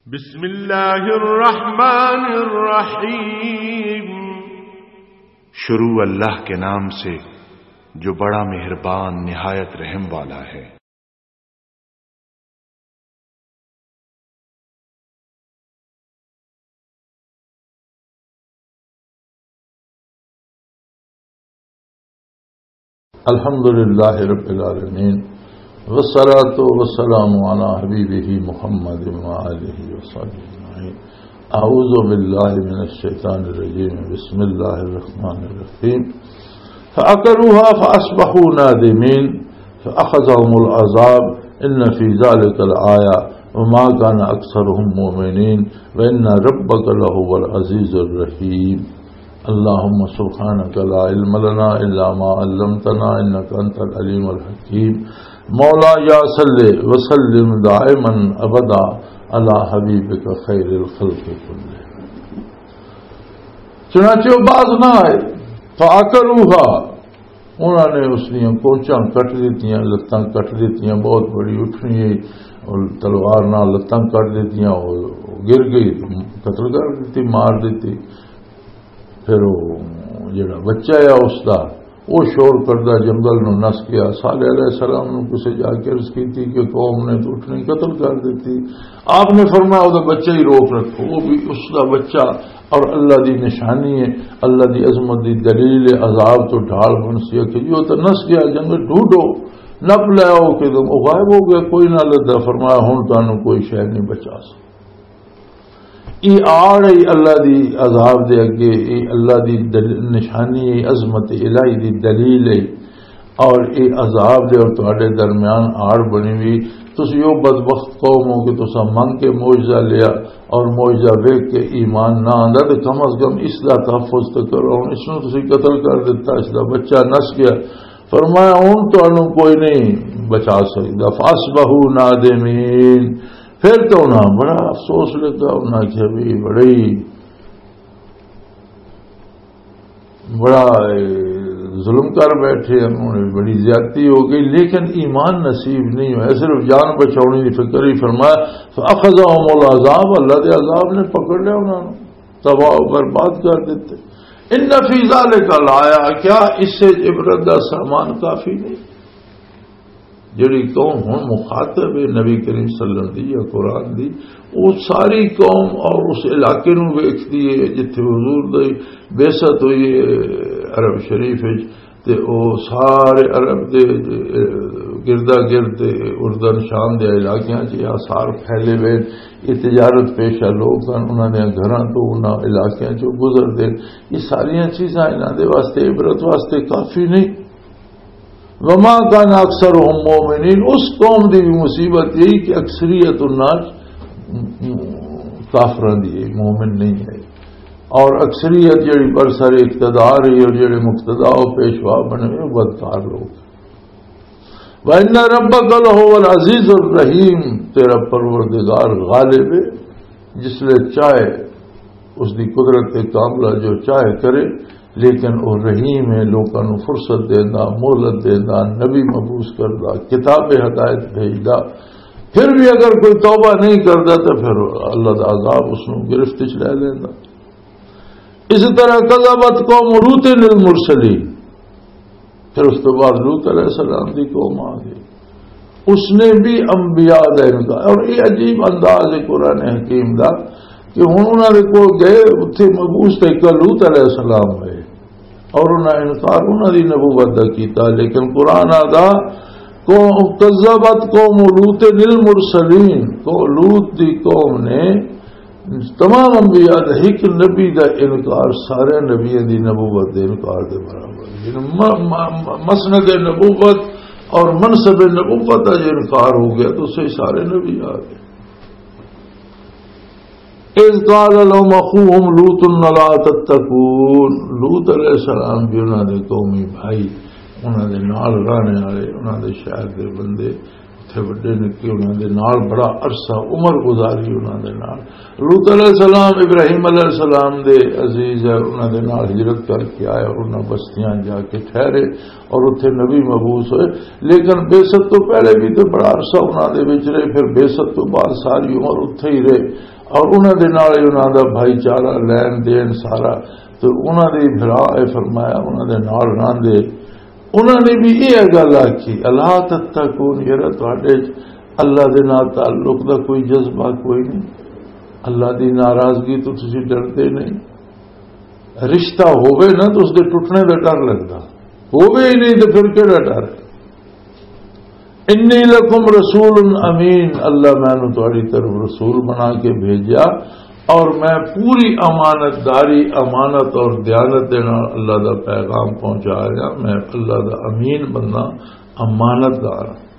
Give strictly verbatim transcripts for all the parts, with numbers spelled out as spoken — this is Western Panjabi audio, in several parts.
بسم اللہ الرحمن الرحیم۔ شروع اللہ کے نام سے، جو بڑا مہربان، نہایت رحم والا ہے۔ الحمد لله رب العالمين، والصلاة والسلام على حبيبه محمد وآله وصحبه أجمعين. أعوذ بالله من الشيطان الرجيم. بسم الله الرحمن الرحيم. فعقروها فأصبحوا نادمين. فأخذهم العذاب. إن في ذلك لآية. وما كان أكثرهم مؤمنين. وإن ربك لهو العزيز الرحيم. اللهم سبحانك لا علم لنا إلا ما علمتنا إنك أنت العليم الحكيم. مولاي صل وسلم دائما أبدا على حبيبك خير الخلق كلهم. چنانچہ وہ باز نہ آئے۔ فعقروها، انہاں نے اس دیاں کوچاں کٹ دتیاں، لتاں کٹ دتیاں، بہت بڑی اٹھنی ہے، اور تلوار نال لتاں کٹ دتیاں، وہ گر گئی، قتل کر دتی، مار دتی۔ پھر وہ جڑا بچہ ہے اس دا، وہ شور کردا جنگل نو نس گیا۔ صالح علیہ السلام نو کسے جا کے عرض کیتی کہ قوم نے تو اٹھنی قتل کر دتی۔ آپ نے فرمایا، "وہ دا بچہ ہی روک رکھو، وہ بھی اس دا بچہ اور اللہ دی نشانی ہے، اللہ دی عظمت دی دلیل ہے، عذاب تو ڈھال بن سی ہے کہ جو تو نس گیا جنگل، ڈھونڈو، نپ لے آؤ کہ تم، وہ غائب ہو گیا، کوئی نہ لدا۔" فرمایا، "ہن تانوں کوئی شے نہیں بچا سکتا۔" یہ آڑ ہے اللہ دی عذاب دے اگے، یہ اللہ دی دل-، نشانی ہے، عظمت الہی دی دلیل ہے۔ اور یہ عذاب دے اور تہاڈے درمیان آڑ بنی ہوئی، تسی او بدبخت قوم ہو کہ تساں منگ کے معجزہ لیا اور معجزہ ویکھ کے ایمان نہ آندا، تے کم از کم اس دا تحفظ تے کرو۔ ہن اس نوں تسی قتل کر دتا، اس دا بچہ نس گیا۔ فرمایا، "ہن تانوں کوئی نہیں بچا سکدا۔" فاصبحوا نادمین۔ پھر تو انہاں بڑا افسوس لگا، انہاں آکھیا، "بھی بڑی، بڑا، اے، ظلم کر بیٹھے ہیں، انہوں نے بڑی زیادتی ہو گئی، لیکن ایمان نصیب نہیں ہویا، صرف جان بچاؤنی دی فکر ہی۔" فرمایا، "فأخذهم العذاب"، اللہ دے عذاب نے پکڑ لیا انہاں نوں، تباہ و برباد کر دیتے۔ "ان فی ذلک لآیہ"، کیا اس سے عبرت دا سامان کافی نہیں؟ جڑی قوم ہن مخاطب ہے نبی کریم صلی اللہ علیہ وسلم دی یا قرآن دی، وہ ساری قوم اور اس علاقے نوں ویکھدی ہے جتھے حضور دی بعثت ہوئی ہے عرب شریف وچ، تے او سارے عرب دے گردا گرد تے اردن شام دے علاقیاں چ یہ آثار پھیلے ہوئے، یہ تجارت پیشہ لوگ ہن، انہاں دے گھراں تو انہاں علاقیاں چ گزردے۔ یہ ساریاں چیزاں انہاں دے واسطے، عبرت واسطے کافی نہیں۔ وما كان أكثرهم مؤمنين، اس قوم دی بھی مصیبت یہی کہ اکثریت انہاں کافراں دی ہے، مومن نہیں ہے۔ اور اکثریت جڑی برسر اقتدار ہے اور جڑے مقتدا و پیشوا بنے ہوئے، وہ بدکار لوگ۔ وَإِنَّ رَبَّكَ لَهُوَ الْعَزِيزُ الرَّحِيمُ، تیرا پروردگار غالب ہے، جس لے چاہے اس دی قدرت کاملہ جو چاہے کرے، لیکن وہ رحیم ہے، لوکاں نوں فرصت دیندا، مہلت دیندا، نبی مبعوث کردا، کتاب ہدایت بھیجدا۔ پھر بھی اگر کوئی توبہ نہیں کردا تو پھر اللہ دا عذاب اس نوں گرفت وچ لے لیندا۔ اسی طرح کذبت قوم لوط المرسلین، پھر اس کے بعد لوط علیہ السلام دی قوم آ گئی، اس نے بھی انبیاء دا انکار۔ اور یہ عجیب انداز ہے قرآن حکیم دا کہ ہن انہاں دے کول گئے، اتھے مبعوث تے ایک لوط علیہ السلام ہوئے اور انہاں انکار انہاں دی نبوت دا کیتا۔ لیکن قرآن آدا، قوم، کذبت قوم لوط المرسلین، کو لوط دی قوم نے تمام انبیاء دا ایک نبی دا انکار سارے نبیوں دی نبوت دے انکار دے برابر۔ یعنی م-، م-، م-، مسند نبوت اور منصب نبوت دا جو انکار ہو گیا تو اسے سارے نبی آ گئے۔ اذ قال لهم اخوهم لوط الا تتقون، لوط علیہ السلام بھی انہاں دے قومی بھائی، انہاں دے نال رہنے والے، انہاں دے شہر دے بندے، وڈے نکے انہاں دے نال بڑا عرصہ عمر گزاری انہاں دے نال۔ لوط علیہ السلام ابراہیم علیہ السلام دے عزیز ہے، انہاں دے نال ہجرت کر کے آئے اور انہاں بستیاں جا کے ٹھہرے اور اتھے نبی مبعوث ہوئے۔ لیکن بعثت تو پہلے بھی تو بڑا عرصہ انہاں دے وچ رہے، پھر بعثت تو بعد ساری عمر اتھے ہی رہے اور انہاں دے نال ہی انہاں دا بھائی چارہ، لین دین سارا۔ تو انہاں دے بھرا اے فرمایا، انہاں دے نال رہندے۔ انہاں نے بھی یہ گل آکھی، "الا تتقون"، یار تواڈے اللہ دے نال تعلق دا کوئی جذبہ کوئی نہیں، اللہ دی ناراضگی تو تسی ڈردے نہیں۔ رشتہ ہووے نا تو اس دے ٹوٹنے دا ڈر لگدا، ہووے ہی نہیں تو پھر کیڑا ڈر؟ "انی لکم رسول امین"، اللہ مینوں تہاڈی طرف رسول بنا کے بھیجیا اور میں پوری امانت داری، امانت اور دیانت دے نال اللہ دا پیغام پہنچا رہا۔ میں اللہ دا امین بندہ، امانت دار ہاں۔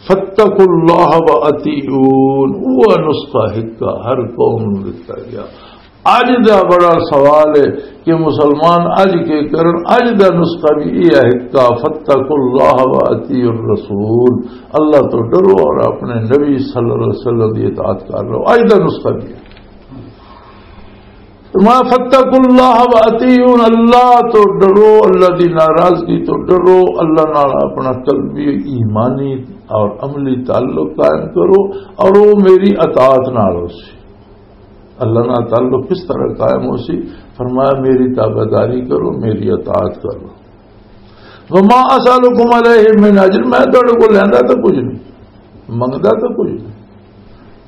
"فاتقوا اللہ و اطیعون"، وہ نسخہ ہکا ہر قوم نوں دتا گیا۔ اج دا بڑا سوال ہے کہ مسلمان اج کے کرن؟ اج دا نسخہ بھی یہ ہے کہ "فاتقوا اللہ و اطیعوا الرسول"، اللہ تو ڈرو اور اپنے نبی صلی اللہ علیہ وسلم دی اطاعت کر لو۔ اج دا نسخہ بھی ہے۔ فرمایا، "فاتقوا اللہ و اطیعون"، اللہ تو ڈرو، اللہ دی ناراضگی تو ڈرو، اللہ نال اپنا قلبی ایمانی اور عملی تعلق قائم کرو اور وہ میری اطاعت نال ہو سی۔ اللہ نال تعلق کس طرح قائم ہو سی؟ فرمایا، "میری تابعداری کرو، میری اطاعت کرو۔" "وما اسالکم علیہ من اجر"، میں تہاڈے کول لیندا تے کچھ نہیں، منگدا تے کچھ نہیں۔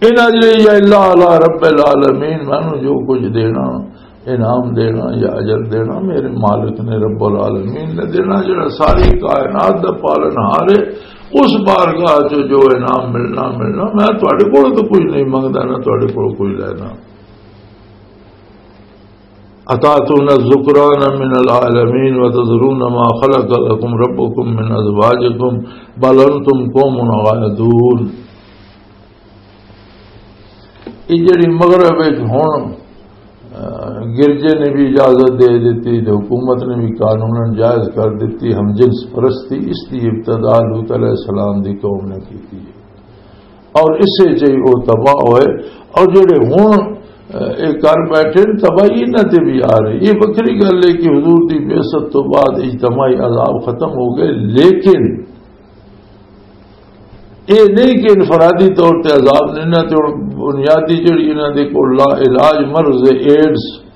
"ان اجری الا علی رب العالمین"، مینوں جو کچھ دینا، انعام دینا یا اجر دینا، میرے مالک نے، رب العالمین نے دینا، جڑا ساری کائنات دا پالن ہار ہے۔ اس بارگاہ چ جو انعام ملنا، ملنا، میں تہاڈے کول تو کچھ نہیں منگدا، نہ تہاڈے کول کوئی لینا۔ "اتاتون الذکران من العالمین وتذرون ما خلق لکم ربکم من ازواجکم بل انتم قوم عادون۔" یہ جڑی مغرب وچ ہن، آ، گرجے نے بھی اجازت دے دتی تے حکومت نے بھی قانوناً جائز کر دتی ہم جنس پرستی، اس دی ابتدا لوط علیہ السلام دی قوم نے کی تھی۔ اور اسے چ ہی وہ تباہ ہوئے۔ اور جڑے ہن، اے، کر بیٹھے نے، تباہی انہاں تے بھی آ رہی۔ یہ وکری گل ہے کہ حضور دی بعثت تو بعد اجتماعی عذاب ختم ہو گئے، لیکن یہ نہیں کہ انفرادی طور تے عذاب نہیں۔ انہاں تے ہن بنیادی جڑی انہاں دے کول لا علاج مرض ہے، ایڈز،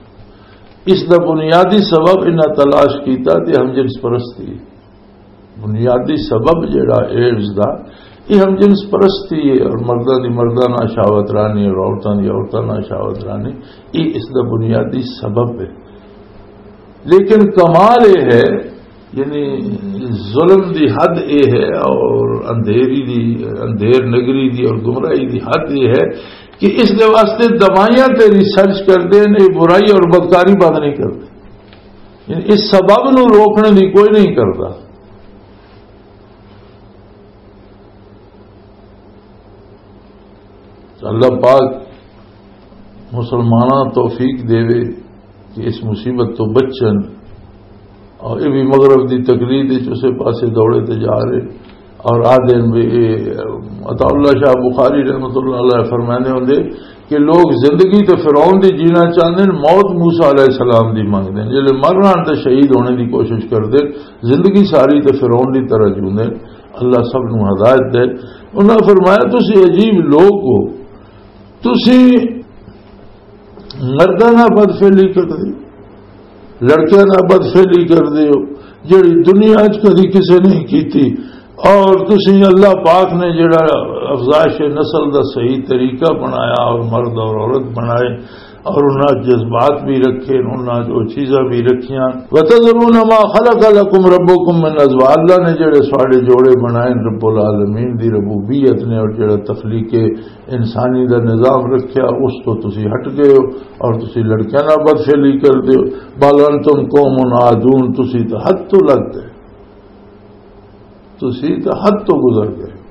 اس دا بنیادی سبب انہاں تلاش کیتا تے ہم جنس پرستی۔ بنیادی سبب جڑا ایڈز دا، یہ ہم جنس پرستی ہے اور مرداں دی مرداں نال شہوت رانی اور عورتاں دی عورتاں نال شہوت رانی، یہ اس دا بنیادی سبب ہے۔ لیکن کمال یہ ہے، یعنی ظلم دی حد یہ ہے اور اندھیری دی، اندھیر نگری دی اور گمراہی دی حد یہ ہے کہ اس دے واسطے دوائیاں تے ریسرچ کردے نے، برائی اور بدکاری بند نہیں کردے۔ یعنی اس سبب نو روکنے دی کوئی نہیں کردا۔ تو اللہ پاک مسلماناں توفیق دے کہ اس مصیبت تو بچن۔ اور یہ بھی مغرب دی تقلید وچ اسے پاسے دوڑے تے جا رہے۔ اور آدھے بھی، عطا اللہ شاہ بخاری رحمۃ اللہ علیہ فرمانے ہوندے کہ لوگ زندگی تے فرعون دی جینا چاہندے نے، موت موسیٰ علیہ السلام دی منگدے نے۔ جلے مر رہن تے شہید ہونے دی کوشش کردے، زندگی ساری تے فرعون دی طرح جیوندے۔ اللہ سب نو ہدایت دے۔ انہاں فرمایا، "تسی عجیب لوگ ہو، تسی مرداں نال بدفعلی کردے، لڑکیاں نال بدفعلی کردے ہو، جڑی دنیا اچ کدی کسے نہیں کیتی۔ اور تسی، اللہ پاک نے جڑا افزائش نسل دا صحیح طریقہ بنایا اور مرد اور عورت بنائے، اور انہاں جذبات بھی رکھے، انہاں جو چیزاں بھی رکھیاں۔ وَتَذَرُونَ مَا خَلَقَ لَكُمْ رَبُّكُمْ مِنْ أَزْوَاجِكُمْ، اللہ نے جڑے ساڈے جوڑے بنائے رب العالمین دی ربوبیت نے، اور جڑا تخلیق انسانی دا نظام رکھیا، اس تو تسی ہٹ گئے ہو اور تسی لڑکیاں نال بدفعلی کردے ہو۔ بل انتم قوم عادون، تسی تو حد تو لگ گئے، تسی تو حد تو گزر گئے۔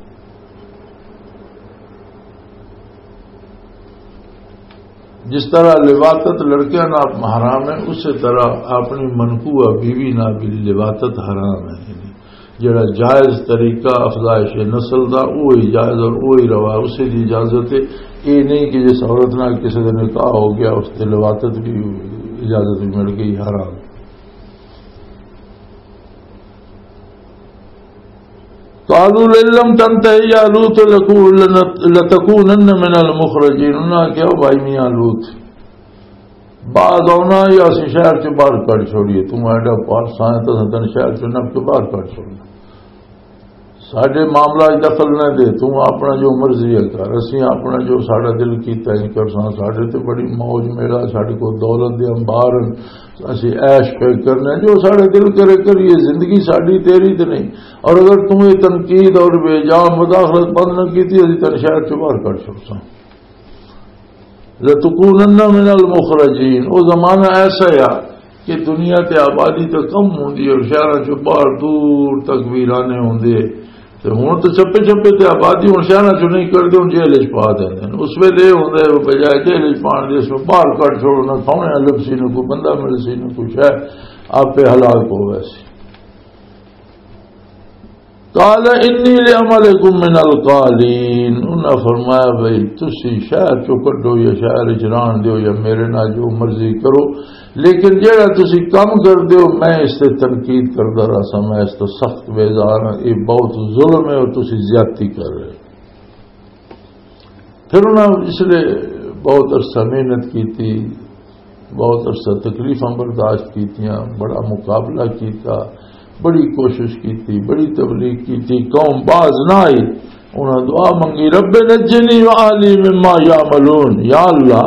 جس طرح لواطت لڑکیاں نال حرام ہے، اسی طرح اپنی منقوہ بیوی نال بھی لواطت حرام ہے۔ جڑا جائز طریقہ افزائش نسل دا، وہی جائز اور وہی روا، اسی دی اجازت ہے۔ یہ نہیں کہ جس عورت نال کسی دا نکاح ہو گیا، اس دے لواطت بھی اجازت بھی مل گئی، حرام۔ قالوا لئن لم تنته يا لوط لكو-، لنت-، لتكونن من المخرجين۔ انہاں کہیا، "او بھائی میاں لوط، بعد آنا یا اسی شہر چ باہر کڈ چھوڑیے، تو ایڈا پارسا ہے تو تن شہر چ نپ کے باہر کڈ چھوڑنا۔ ساڈے معاملہ وچ دخل نہ دے، تو اپنا جو مرضی ہے کر، اسی اپنا جو ساڈا دل کیتا ہی کرساں، ساڈے تے بڑی موج میڑا، ساڈے کو دولت دے انبار ہیں، اسی عیش پہ کرنے، جو ساڈے دل کرے کریے، زندگی ساڈی تیری تے نہیں۔ اور اگر تم یہ تنقید اور بے جا مداخلت بند نہ کیتی، اسی تن شہر چ باہر کڈ چھوڑساں۔" لتکونن من المخرجین۔ او زمانہ ایسا ہے کہ دنیا تے آبادی تے کم ہوندی ہے اور شہراں چوں باہر دور تک ویرانے ہوندے۔ تے ہن تے چھپے چھپے تے آبادی ہن شہراں چوں نہیں کردے، ہن جیل وچ پا دیندے نے۔ اس ویلے یہ ہوندا ہے، بجائے جیل وچ پان دے، اس میں باہر کڈ چھوڑو، نہ سونے لبسی، نہ کوئی بندہ ملسی، نہ کوئی شے، آپے ہلاک ہو ویسی۔ قال انی لعملکم من القالین، انہاں فرمایا، "بھئی تسی شہر چوں کڈو یا شہر وچ ران دیو یا میرے نال جو مرضی کرو، لیکن جیڑا تسی کم کر دیو، میں اس تے تنقید کردا رہساں، میں اس تو سخت بیزار ہاں، یہ بہت ظلم ہے اور تسی زیادتی کر رہے ہو۔" پھر انہاں اس لیے بہت عرصہ محنت کیتی، بہت عرصہ تکلیفاں برداشت کیتیاں، بڑا مقابلہ کیتا، بڑی کوشش کیتی، بڑی تبلیغ کیتی، قوم باز نہ آئی۔ انہاں دعا منگی، "رب نجنی و اہلی مما یعملون"، یا اللہ،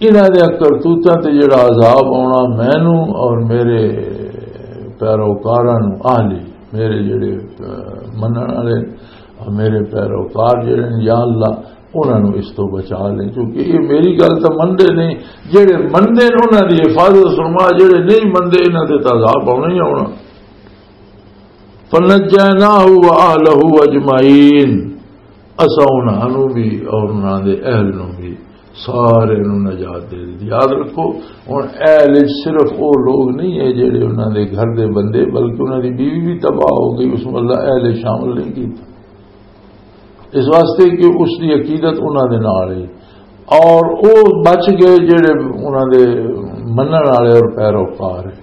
انہاں دے کرتوتاں تے جڑا عذاب آنا، مینوں اور میرے پیروکاراں نوں، اہلی، میرے جڑے، اہ، منن والے اور میرے پیروکار جڑے نے، یا اللہ، انہاں نوں اس تو بچا لے، کیونکہ یہ میری گل تو مندے نہیں۔ جڑے مندے نے، انہاں دی حفاظت فرما، جڑے نہیں مندے، انہاں تے تو عذاب آنا ہی آنا۔ فنجیناہ و اہلہ اجمعین، اساں انہاں نوں بھی اور انہاں دے اہل نوں بھی، سارے نوں نجات دے دتی۔ یاد رکھو، ہن اہل وچ صرف او لوگ نہیں ہے جڑے انہاں دے گھر دے بندے، بلکہ انہاں دی بیوی بھی تباہ ہو گئی، اس نوں اللہ اہل وچ شامل نہیں کیتا، اس واسطے کہ اس دی عقیدت انہاں دے نال ہے، اور او بچ گئے جڑے انہاں دے منن والے اور پیروکار ہیں۔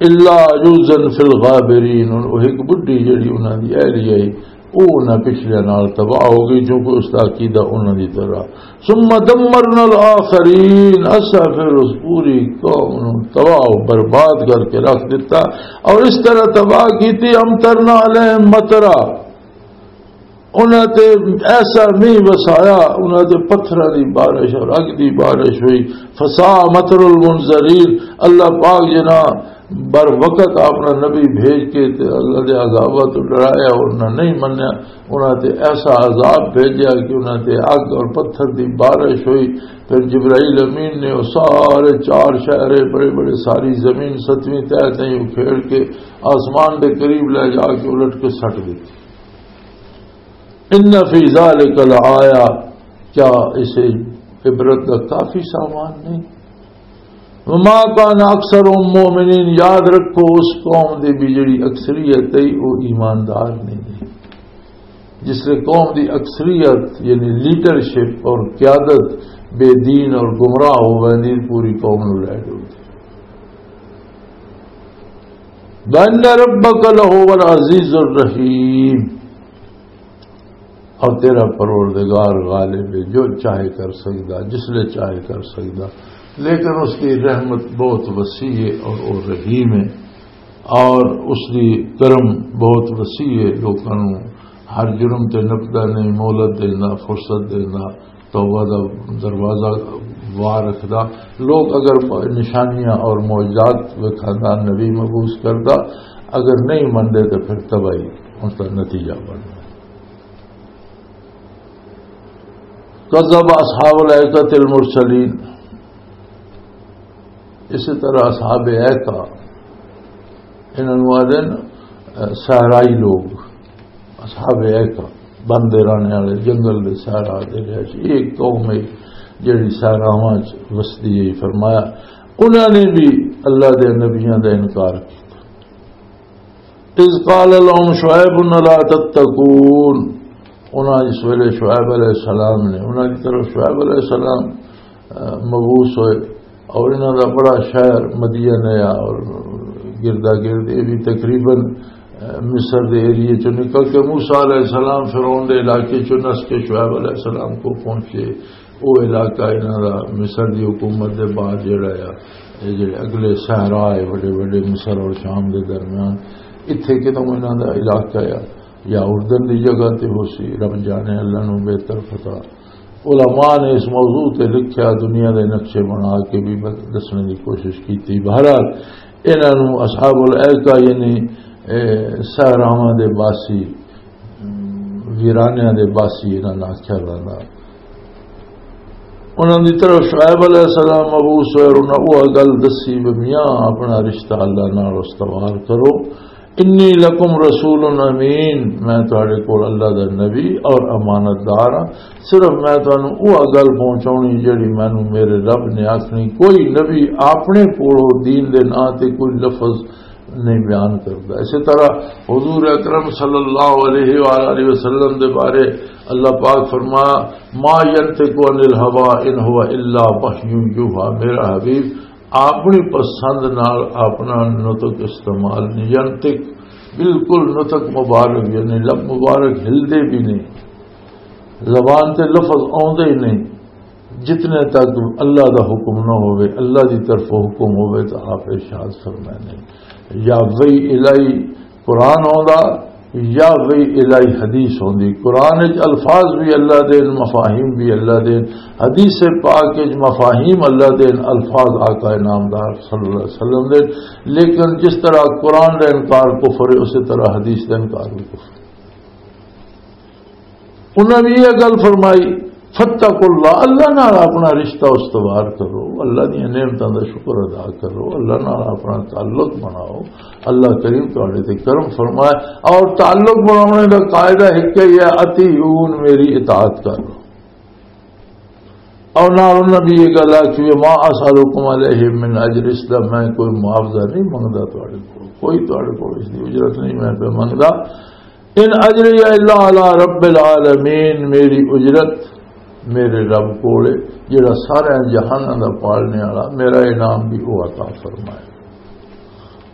الا عجوزا فی الغابرین، ہن او ایک بڈھی جڑی انہاں دی اہلیہ ہے، او انہاں پچھلیاں نال تباہ ہو گئی، کیونکہ اس دا عقیدہ انہاں دی طرح۔ ثم دمرنا الاخرین، اسا پھر اس پوری قوم نو تباہ و برباد کر کے رکھ دتا، اور اس طرح تباہ کیتی، امطرنا علیہم مطرا، انہاں تے ایسا مینہ وسایا، انہاں تے پتھراں دی بارش اور اگ دی بارش ہوئی۔ فساء مطر المنذرین، اللہ پاک جناں بر وقت اپنا نبی بھیج کے تے اللہ دے عذاباں تو ڈرایا اور انہاں نہیں منیا، انہاں تے ایسا عذاب بھیجیا کہ انہاں تے اگ اور پتھر دی بارش ہوئی۔ پھر جبرائیل امین نے وہ سارے چار شہرے بڑے بڑے، ساری زمین ستویں تہہ تائیں اکھیڑ کے آسمان دے قریب لے جا کے الٹ کے سٹ دتی۔ ان فی ذلک لآیہ، کیا اسے عبرت کا کافی سامان نہیں؟ وما کان اکثر مؤمنین، یاد رکھو اس قوم دی بھی جڑی اکثریت ہے وہ ایماندار نہیں ہے۔ جس لئے قوم دی اکثریت یعنی لیڈرشپ اور قیادت بے دین اور گمراہ ہو ویندی، پوری قوم نو لے ڈولدی۔ وَإِنَّ رَبَّكَ لَهُوَ الْعَزِيزُ الرَّحِيمُ، اور تیرا پروردگار غالب ہے، جو چاہے کر سکدا، جس لے چاہے کر سکدا، لیکن اس کی رحمت بہت وسیع ہے اور وہ رحیم ہے، اور اس کی کرم بہت وسیع ہے، لوکاں نوں ہر جرم تے نپدا نہیں، مہلت دیندا، فرصت دیندا، توبہ دا دروازہ وار رکھدا۔ لوگ اگر نشانیاں اور معجزات وکھاندا، نبی مبعوث کردا، اگر نہیں مندے تو پھر تباہی اس دا نتیجہ بندا۔ کذب اصحاب الایکۃ المرسلین، اسی طرح اصحاب ایکہ، انہاں نوں آدھے نا، اہ، صحرائی لوگ، اصحاب ایکہ، بندے رہنے والے جنگل دے صحرا دے وچ، ایک قوم ہے جڑی صحراواں چ وسدی ہے۔ فرمایا انہاں نے بھی اللہ دے نبیاں دا انکار کیتا۔ اذ قال لهم شعیب الا تتقون، انہاں جس ویلے شعیب علیہ السلام نے، انہاں دی طرف شعیب علیہ السلام، آ، مبعوث ہوئے، اور انہاں دا بڑا شہر مدین ہے، اور گردا گرد یہ بھی تقریباً، آ، مصر دے ایریے چوں نکل کے موسیٰ علیہ السلام فرعون دے علاقے چوں نس کے شعیب علیہ السلام کو پہنچے۔ وہ علاقہ انہاں دا مصر دی حکومت دے بعد جڑا آ، یہ جڑے اگلے صحرا ہے وڈے وڈے مصر اور شام دے درمیان، اتھے کتوں انہاں دا علاقہ آ، یا اردن دی جگہ تے ہو سی، رب جانے، اللہ نو بہتر پتہ۔ علماء نے اس موضوع تے لکھیا، دنیا دے نقشے بنا کے بھی دسنے دی کوشش کیتی۔ بہرحال، انہاں نوں اصحاب الایکہ یعنی، اے، صحراواں دے باسی، ویرانیاں دے باسی انہاں نوں آکھیا ویندا۔ انہاں دی طرف شعیب علیہ السلام مبعوث ہوئے اور انہاں وہ گل دسی بھی میاں اپنا رشتہ اللہ نال استوار کرو۔ انی لکم رسول امین، میں تہاڈے کول اللہ دا نبی اور امانت دار ہاں۔ صرف میں تانوں وہ گل پہنچاونی جڑی مینوں میرے رب نے آکھنی۔ کوئی نبی اپنے کولوں دین دے ناں تے کوئی لفظ نہیں بیان کردا۔ اسی طرح حضور اکرم صلی اللہ علیہ وآلہ وسلم دے بارے اللہ پاک فرمایا، ما ینطق عن الہوی ان هو الا وحی یوحی، میرا حبیب اپنی پسند نال اپنا نطق استعمال نہیں۔ ینطق بالکل نطق مبارک، یعنی لب مبارک ہلدے بھی نہیں، زبان تے لفظ آوندے ہی نہیں۔ جتنے تک اللہ دا حکم نہ ہوئے، اللہ دی طرف حکم ہوئے تو آپ ارشاد فرمائے نہیں۔ یا وحی الہی قرآن آندا، یا وحی الہی حدیث ہوندی۔ قرآن وچ الفاظ بھی اللہ دے، مفاہیم بھی اللہ دے، حدیث پاک وچ مفاہیم اللہ دے، الفاظ آقا نامدار صلی اللہ علیہ وسلم دے۔ لیکن جس طرح قرآن دا انکار کفر ہے، اسی طرح حدیث دا انکار بھی کفر۔ انہاں نے یہ گل فرمائی، "فتقوا اللہ"، اللہ نال اپنا رشتہ استوار کرو، اللہ دی نعمتاں دا شکر ادا کرو، اللہ نال اپنا تعلق بناؤ، اللہ کریم تہاڈے تے کرم فرمائے۔ اور تعلق بناونے دا قاعدہ ایک ہی ہے، "اطیعون"، میری اطاعت کرو۔ اور نال انہاں بھی یہ گل آکھی، "ما اسالکم علیہ من اجر"، اس دا میں کوئی معاوضہ نہیں منگدا تہاڈے کول، کوئی تہاڈے کول اس دی اجرت نہیں میں پہ منگدا۔ "ان اجری الا علی رب العالمین"، میری اجرت میرے رب کول ہے، جڑا سارے جہاناں دا پالنے والا، میرا انعام بھی وہ عطا فرمائے۔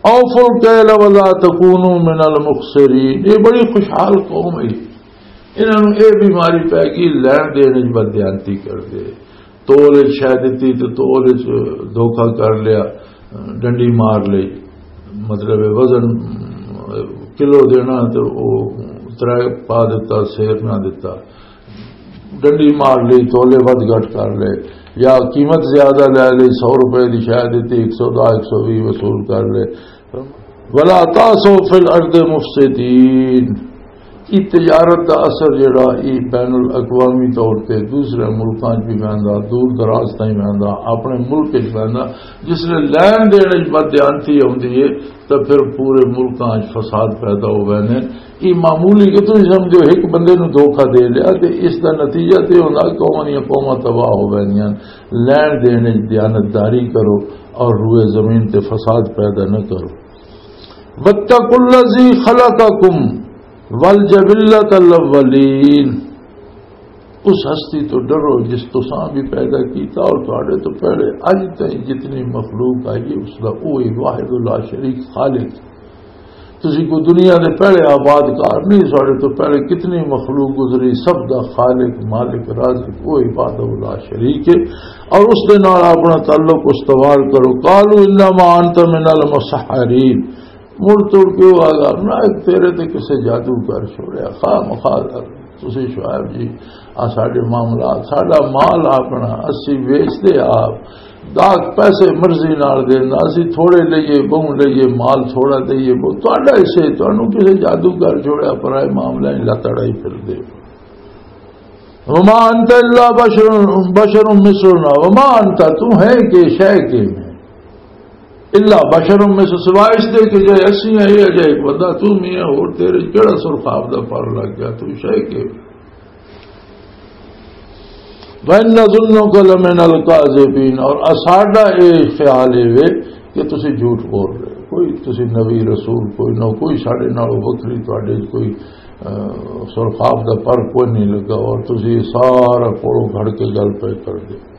"اوفوا الکیل ولا تکونوا من المخسرین"، یہ بڑی خوشحال قوم ہے۔ انہاں نوں یہ بیماری پی گئی، لین دین وچ بددیانتی کر دے۔ تول وچ شے دتی تے تول وچ دھوکا کر لیا، ڈنڈی مار لئی، مطلب ہے وزن کلو دینا تے او ترے پا دتا، سیر نہ دتا، ڈنڈی مار لئی، تولے ود گھٹ کر لے، یا قیمت زیادہ لے لئی، سو روپے دی شے دتی، ایک سو دس، ایک سو وی وصول کر لے۔ "ولا تعثوا فی الارض مفسدین"۔ یہ تجارت دا اثر جڑا، یہ بین الاقوامی طور تے دوسرے ملکاں 'چ بھی ویندا، دور دراز تائیں ویندا، اپنے ملک 'چ ویندا۔ جس لے لین دین 'چ بددیانتی آوندی ہے، تاں پھر پورے ملکاں 'چ فساد پیدا ہو ویندے۔ یہ معمولی کہ تسی سمجھو، ایک بندے نوں دھوکا دے لیا تے اس دا نتیجہ تے ہوندا قوماں دیاں قوماں تباہ ہو ویندیاں۔ لین دین 'چ دیانتداری کرو اور روئے زمین تے فساد پیدا نہ کرو۔ "واتقوا الذی خلقکم والجبلۃ الاولین"، اس ہستی تو ڈرو جس تساں بھی پیدا کیتا اور تہاڈے تو پہلے اج تائیں جتنی مخلوق آئی ہے، اس دا اوہی واحد لا شریک خالق۔ تسی کو دنیا دے پہلے آباد کار نہیں، ساڈے تو پہلے کتنی مخلوق گزری، سب دا خالق، مالک، رازق، اوہی وحدہ لا شریک ہے۔ اور اس دے نال اپنا تعلق استوار کرو۔ "قالوا انما انت من المسحرین"، مڑ توڑ کے وہ آگا، "نہ، تیرے تے کسے جادو کر چھوڑیا، خواہ مخواہ تسی شعیب جی، آ ساڈے معاملات، ساڈا مال اپنا، اسی ویچدے آپ، داغ پیسے مرضی نال دیندا، اسی تھوڑے لئیے، بہوں لئیے، مال تھوڑا دئیے، بہوں تہاڈا حصہ، تانوں کسے جادو کر چھوڑیا، پرائے معاملے لت اڑائی پھردے ہو۔ وما انت الا بشر، بشر مثلنا، وما انت"، تو ہے کہ شے کہ میں، "الا بشر مثل"، سوائے اس دے کہ جے اسی ہیں، یہ جے ایک بندہ تو میں ہے، اور تیرے کیڑا سر خواب دا پر لگ گیا، تو شے کہ۔ "وَإِنَّ ظُنُّكَ لَمِنَ الْكَاذِبِينَ"، اور اساڈا اے خیال اے وے کہ تسی جھوٹ بول رہے ہو، کوئی تسی نبی رسول کوئی نہ، کوئی ساڈے نالوں وکھری تہاڈے کوئی، آ، سرخاب دا پر کوئی نہیں لگا، اور تسی سارا کوڑوں گھڑ کے گل پے کر دے۔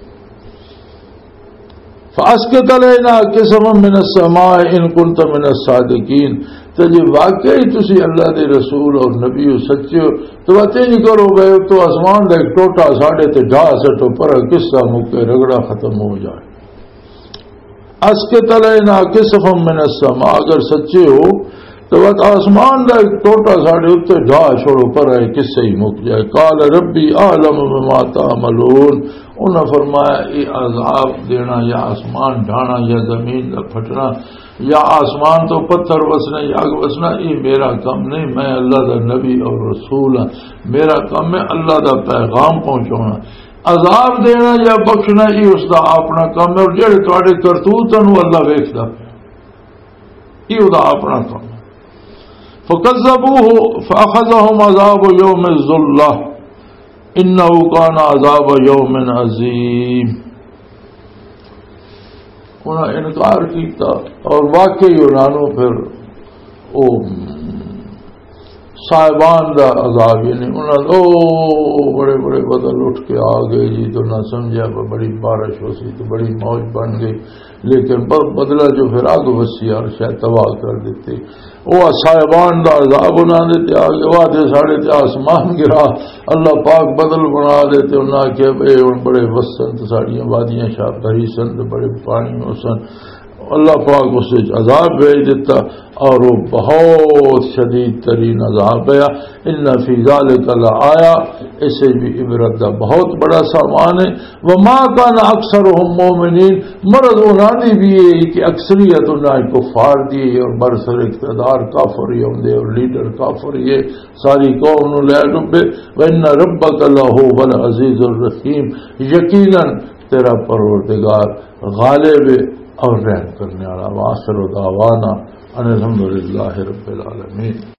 فَأَسْقِطْ عَلَيْنَا كِسَفًا مِنَ السَّمَاءِ إِن كُنتَ مِنَ الصَّادِقِينَ۔ تے جے واقعی تسی اللہ دے رسول اور نبی ہو، سچے ہو، تو بات ہی نہیں کرو گئے تو آسمان دا ایک ٹوٹا ساڈے تے ڈھا سٹو، پر قصہ مکے، رگڑا ختم ہو جائے۔ اسقط علینا کسفا من السماء، اگر سچے ہو تو بس آسمان دا ایک ٹوٹا ساڈے اُتے ڈھا چھوڑو، پر اے قصہ ہی مک جائے۔ قال ربی اعلم بما تعملون۔ انہاں فرمایا، اے عذاب دینا یا آسمان ڈھانا یا زمین دا پھٹنا یا آسمان تو پتھر وسنا یا اگ وسنا، اے میرا کم نہیں، میں اللہ دا نبی اور رسول ہاں۔ میرا کم ہے اللہ دا پیغام پہنچانا۔ عذاب دینا یا بخشنا، یہ اس دا اپنا کم ہے، اور جڑے تواڈے کرتوت ہیں، وہ اللہ ویکھدا پیا۔ یہ اس دا اپنا کم ہے۔ فکذبوہ فاخذہم عذاب یوم الذلہ انہ کان عذاب یوم عظیم۔ انہاں انکار کیتا اور واقعی انہاں نوں پھر او صاحبان دا عذاب، یعنی انہاں دے او بڑے بڑے بدل اٹھ کے آ گئے جی، تو نہ سمجھیا کہ بڑی بارش ہو سی تو بڑی موج بن گئی، لیکن ب-، بدلہ جو پھر اگ وسی اور شاید تباہ کر دیتے۔ او صاحبان دا عذاب انہاں دے تے آ گیا، وہ آدھے ساڑے تے آسمان گرا، اللہ پاک بدل بنا دے تے انہاں آکھیا، "اے ہن بڑے وسن تے ساڑیاں وادیاں شاہ بھری سن تے بڑے پانی ہو سن۔" اللہ پاک اس وچ عذاب بھیج دیتا، اور وہ بہت شدید ترین عذاب ہے۔ ان فی ذلک لآیہ، اس وچ بھی عبرت دا بہت بڑا سامان ہے۔ وما کان اکثرہم مؤمنین، مرض انہاں دی بھی یہ کہ اکثریت انہاں دی کفار دی ہے، اور برسر اقتدار کافر ہی ہوندے، اور لیڈر کافر ہی ہے، ساری قوم نو لے ڈبے۔ وان ربک لہو العزیز الرحیم، یقیناً تیرا پروردگار غالب ہے اور رحم کرنے والا۔ وآخر دعوانا ان الحمدللہ رب العالمین۔